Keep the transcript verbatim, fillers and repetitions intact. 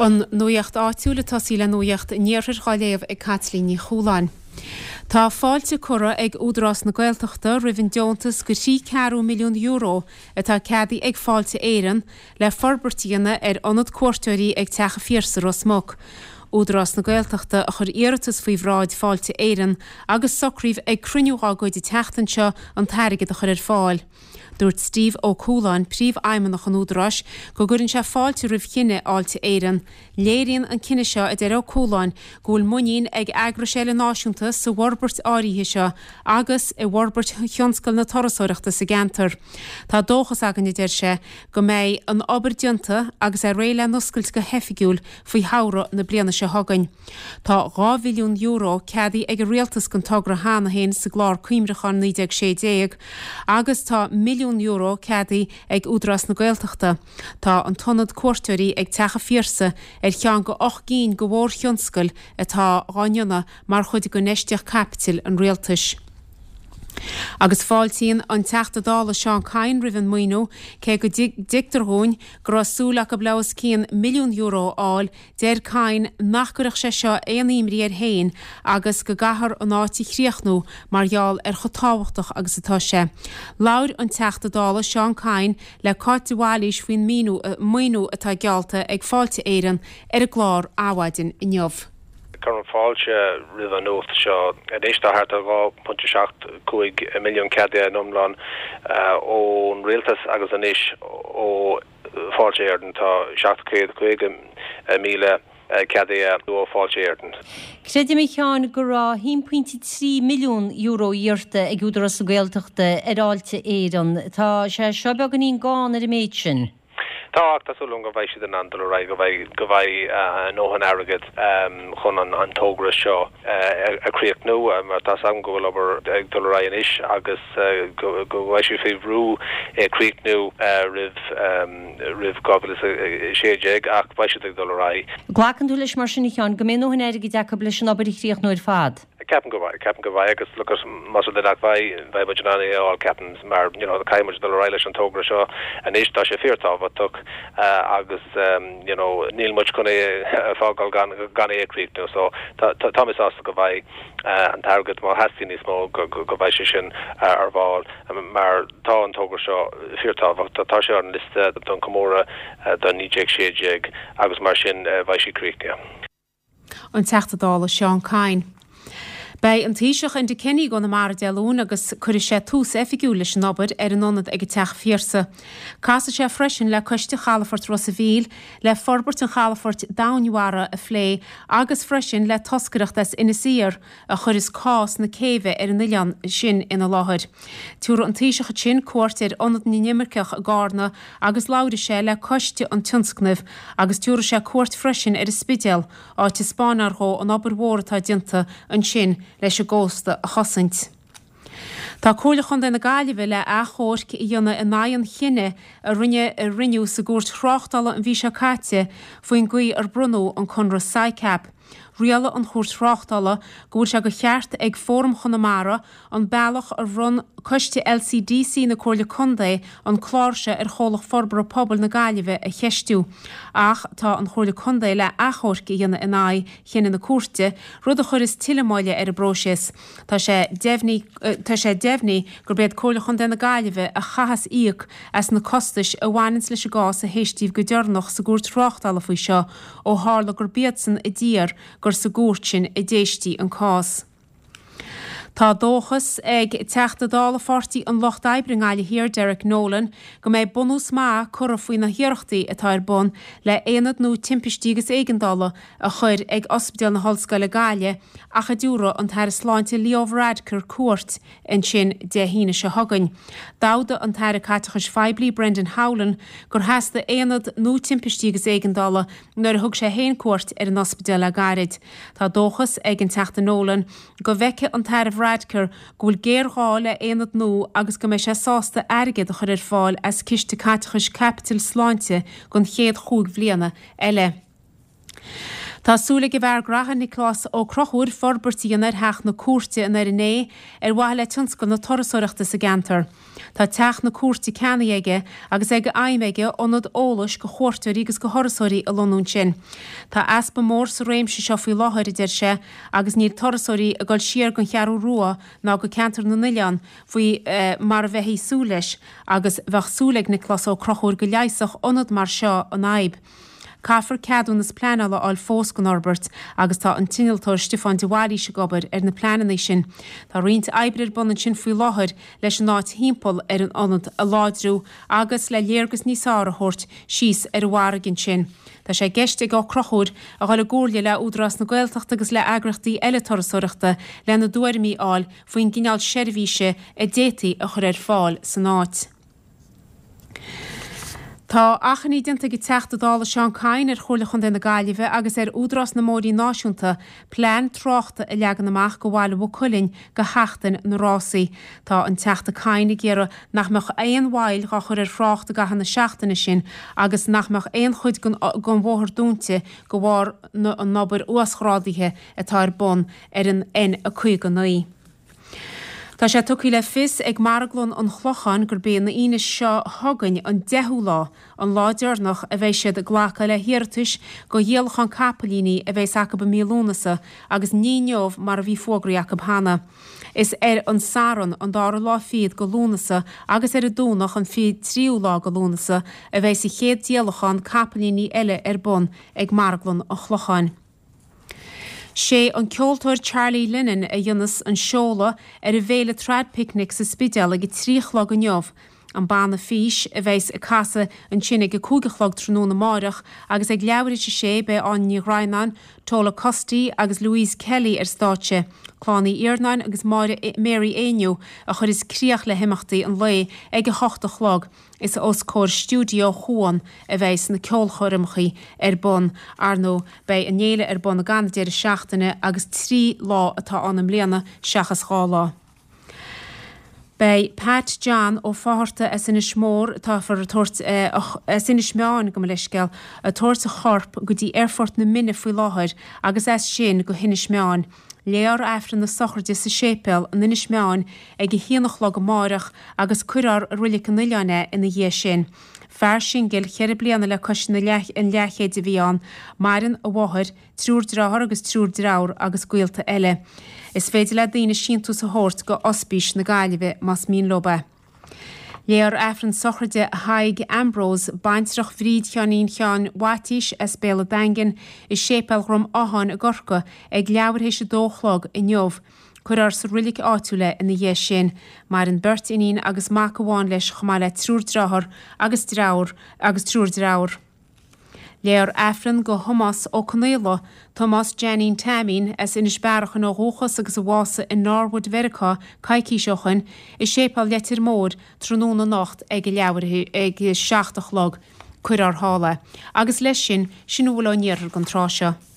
An nuacht áitiúil ag tosaí le nuacht an iarthair á léamh ag Caitlín Ní Chúláin. Tá fáilte curtha ag Údarás na Gaeltachta roimh an deontas de thrí ceathrú milliún euro atá ceadaithe ag Fáilte Éireann le forbairt a dhéanamh ar ionad cuairteoirí ag Teach an Phiarsaigh Ros Muc. Údarás na Gaeltachta a chuir iarratas faoi bhráid Fáilte Éireann agus socraíodh ag cruinniú dá gcuid an tseachtain seo an t-airgead a chur ar fáil. Dúirt Steve Ó Cualáin, príomhfheidhmeannach an Údaráis, go gcuireann sé fáilte roimh chinneadh Fháilte Éireann. Léiríonn an cinneadh seo a deir Ó Cualáin go bhfuil muinín ag eagrais eile náisiúnta sa bhforbairt áirithe seo agus i bhforbairt thionscal na turasóireachta sa gceantar. Tá dóchas againn a deir sé go mbeidh an obair déanta agus é réidh le n-oscailt go hoifigiúil faoi shamhradh na bliana seo chugainn. Tá dhá mhilliún euro ceadaithe ag an rialtas don togra cheana féin sa gclár cuimhneacháin naoi déag sé déag agus tá milliún euro ceadaithe ag Údarás na Gaeltachta. Tá an t-ionad cuairteoirí ag Teach an Phiarsaigh ar cheann de ocht gcinn de mhórthionscadail atá á ndéanamh mar chuid d'infheistíocht caipitil an rialtais. Agus fáiltíonn an Teachta Dála Seán Kyne roimh an maoiniú cé go dtuigtear dúinn go raibh súil acu le os cionn milliún euro a fháil, deir Kyne nach gcuirfeadh sé seo aon imní air féin agus go gcaithfear an áit a chríochnú mar gheall ar chomh tábhachtach agus atá sé. Labhair an Teachta Dála Seán Kyne le Cáit de Bhailís faoin maoiniú atá geallta ag Fáilte Éireann ar an gclár Adhmhaidin inniu. Cuirim fáilte roimh an nuacht seo. Anois tá thart ar dhá phointe seacht cúig milliún ceadaithe in iomlán ón rialtas agus anois ó Fáilte Éireann tá seacht chéad caoga míle ceadaithe ó Fáilte Éireann. Creidim a Sheáin go raibh haon pointe trí milliún euro iarrta ag Údarás na Gaeltachta ar Fháilte Éireann. Tá sé seo beagáinín gann ar an méid sin. Tá ach tá súil agam go mbeidh siad in ann dul ar aghaidh, go mbeidh go mbeidh a ndóthain airgid chun an an togra seo a chríochnú mar tá a fhios agam go bhfuil obair ag dul ar aghaidh anois agus go go mbeidh siad faoi bhrú é a chríochnú roimh roimh dhá mhíle is a sé déag ach beidh siad ag dul ar aghaidh. Glacann tú leis mar sin a Sheáin go mbeidh a ndóthain airgid acu leis an obair a chríochnú ar fad? Ceapaim go mbeidh, ceapaim go mbeidh agus look más rud é nach mbeidh, beidh muid in ann é a fháil ceapaim mar you know caithfidh muid dul ar aghaidh leis an togra seo anois tá sé fíorthábhachtach agus you know níl muid chun é a fhágáil gan gan é a chríochnú so tá tá mé sásta go mbeidh an t-airgead má theastaíonn níos mó go go mbeidh sé sin ar fáil mar tá an togra seo fíorthábhachtach tá sé ar an liosta don chomóradh do naoi déag sé déag agus mar sin beidh sé críochnaithe. An Teachta Dála Seán Kyne. Beidh an Taoiseach Enda Kenny i gConamara Dé Luain agus cuirfidh sé tús oifigiúil leis an obair ar an ionad ag an Teach Phiarsaigh. Casfaidh sé freisin le Coiste Chalafort Ros a' Mhíl le forbairt an chalafoirt domhainmhara a phlé agus freisin le toscaireacht as Inis Oírr a chuireas cás na céibhe ar an oileán sin ina láthair. Tabharfaidh an Taoiseach ansin cuairt ar Ionad na nImirceach i gCarna agus labhróidh sé le coiste an tionscnaimh agus tabharfaidh sé cuairt freisin ar an Spidéal, áit a spáinfear dhó an obair mhór atá déanta ansin leis an gcósta a chosaint. Tá Comhairle Chontae na Gaillimhe le achomharc a dhéanamh in aghaidh an chinnidh a rinne a rinneadh sa gcúirt thráchtála an mhí seo caite faoin gcaoi ar bronnadh an conradh SICAP. Rialaigh an Chúirt Thráchtála go bhfuil sé de cheart ag Fóram Chonamara an bealach ar bhronn Coiste LCDC na Comhairle Contae an clár seo ar Chomhlacht Forbartha Pobail na Gaillimhe a cheistiú. Ach tá an Chomhairle Contae le achomharc a dhéanamh in aghaidh chinneadh na cúirte, rud a chuireas tuilleadh moille ar an bpróiseas. Tá sé deimhnithe tá sé deimhnithe gurb iad Comhairle Chontae na Gaillimhe a chaithfeas íoc as na costais a bhaineanns leis an gcás a héistíodh go deireanach sa gcúirt thráchtála faoi seo ó tharla gurb iadsan a d'iarr gur sa gcúirt sin a d'éistí an cás. Tá dóchas ag Teachta Dála Pháirtí an Lucht Oibre i nGaillimh Thiar, Derek Nolan, go mbeidh bunús maith curtha faoi na hiarrachtaí atá ar bun le haonad nua timpistí agus éigeandála a chur ag Ospidéal na hOllscoile Gaillimh ach a dtabharfaidh an tAire Sláinte Leo Varadkar cuairt ansin Dé hAoine seo chugainn. D'fhógair an tAire Caiteachais Phoiblí Brendan Howlin gur theastaigh aonad nua timpistí agus éigeandála nuair a thug sé féin cuairt ar an ospidéal le gairid. Tá dóchas ag an Teachta Nolan go bhfeicfidh an tAire Varadkar go bhfuil géarghá le haonad nua agus go mbeidh sé sásta airgead a chur ar fáil as Ciste Caiteachais Caipitil Sláinte don chéad chúig bhliana eile. Tá súil ag an bhfear graithe Nioclás Ó Conchúir forbairt a dhéanamh ar theach na cúirte in Doire Né ar mhaithe le tionscal na turasóireachta sa gceantar. Tá teach na cúirte ceannaithe aige agus é d'aidhm aige ionad eolais go chuairteoirí agus go thurasóirí a lonnú ansin. Tá easpa mór sa réimse seo faoi láthair, a deir sé, agus níl turasóirí ag dul siar gon Cheathrú Rua ná go ceantar na n-oileán faoi mar a bheifí ag súil leis agus bheadh súil ag Nioclás Ó Conchúir go leigheasfadh ionad mar seo an fhadhb. Caithfear ceadúnas pleanála a fháil fós gon fhorbairt agus tá an t-innealtóir Stiofán de Bhailís ag obair ar na pleananna sin. Tá roinnt oibre ar bun ansin faoi láthair leis an áit thimpeall ar an ionad a láidriú agus le léargas níos fearr a thabhairt síos ar an bhfarraige ansin. Tá sé i gceist ag Ó Conchúir a dhul i gcomhairle le Údarás na Gaeltachta agus le heagraíochtaí eile turasóireachta lena dtuairimí a fháil faoin gcineál seirbhíse a d'fhéadfaí a chur ar fáil san áit. Tá achainí déanta ag an Teachta Dála Seán Kyne ar Chomhairle Chontae na Gaillimhe agus ar Údarás na mBóithrí Náisiúnta plean tráchta a leagan amach go Bhaile Mhaigh Cuilinn go sheachtain na rásaí. Tá an Teachta Kyne ag iarraidh nach mbeadh aon mhoill dhá chur ar thrácht i gcaitheamh na seachtaine sin agus nach mbeadh aon chuid den bhóthar dúnta de bharr an obair uasghrádaithe atá ar bun ar an N a caoga naoi. Tá sé tugtha le fios ag Marglann an Chlocháin gurb é an Aoine seo chugainn, an deichiú lá, an lá deireanach a bheidh siad ag glacadh le hiarratais go dhíolachán capaillíní a bheas acu i mí Lúnasa agus ní inniu mar a bhí fógraithe acu cheana. Is ar an Satharn, an dara lá fichead go Lúnasa agus ar an Domhnach, an fiche tríú lá go Lúnasa, a bheas an chéad díolachán capaillíní eile ar bun ag Marglann an Chlocháin. Sé an ceoltóir Charlie Lennon a dhéanfas an seoladh ar an bhféile Traidpicnic sa Spidéal ag a trí a chlog inniu. An banna Fís a bheas ag casadh ansin ag a cúig a chlog tráthnóna amáireach agus ag leathuair théis a sé beidh Áine Ní Dhroighneáin, Tola Custy agus Louise Kelly ar stáitse. Clann Uí Iarnáin agus Máire Mary Éinniú a chuirfeas críoch le himeachtaí an lae ag a hocht a chlog. Is os comhair stiúideo Chuan a bheas na ceolchoirmeacha ar bun. Ar ndóigh, beidh an fhéile ar bun ag an deireadh seachtaine agus trí lá atá ann i mbliana seachas dhá lá. Beidh Pat John Ó Fátharta as Inis Mór, táthar ag tabhairt, as Inis Meáin, gabh mo leithscéal, ag tabhairt a chorp go dtí Aerfort na Minne faoi láthair agus as sin go hInis Meáin. Léifear Aifreann na sochraide sa séipéal in Inis Meáin ag a haon a chlog amáireach agus cuirfear i Reilig an Oileáin é ina dhiaidh sin. Fear singil cheithre bliana le cois an leathchéid a bhí ann. Maireann a mháthair, triúr dearthár agus triúr deirfiúr agus gaolta eile. Is féidir le daoine síntiús a thabhairt go Ospís na Gaillimhe más mian leo é. Léifear Aifreann sochraide Thaidhg Ambrose, baintreach Bhríd Sheáinín Sheáin Mhaitís as Béal an Daingin, i Séipéal Dhrom Átháin i gCorcaigh ag leathuair théis a dó a chlog inniu. Cuirfear sa roilig áitiúil é ina dhiaidh sin. Maireann beirt iníon agus mac amháin leis chomh maith le triúr dearthár agus deirfiúr agus triúr deirfiúr. Léifear Aifreann go Thomás Ó Conaola, Tomás Jeainín Teaimín, as Inis Bearachain ó dhúchas agus a bhásaigh i Norwood Mheiriceá coicís ó shoin, i Séipéal Leitir Móir tráthnóna anocht ag a leathuair ag a seacht a chlog. Cuirfear thall é. Agus leis sin, sin a bhfuil ón iarthar don tráth seo.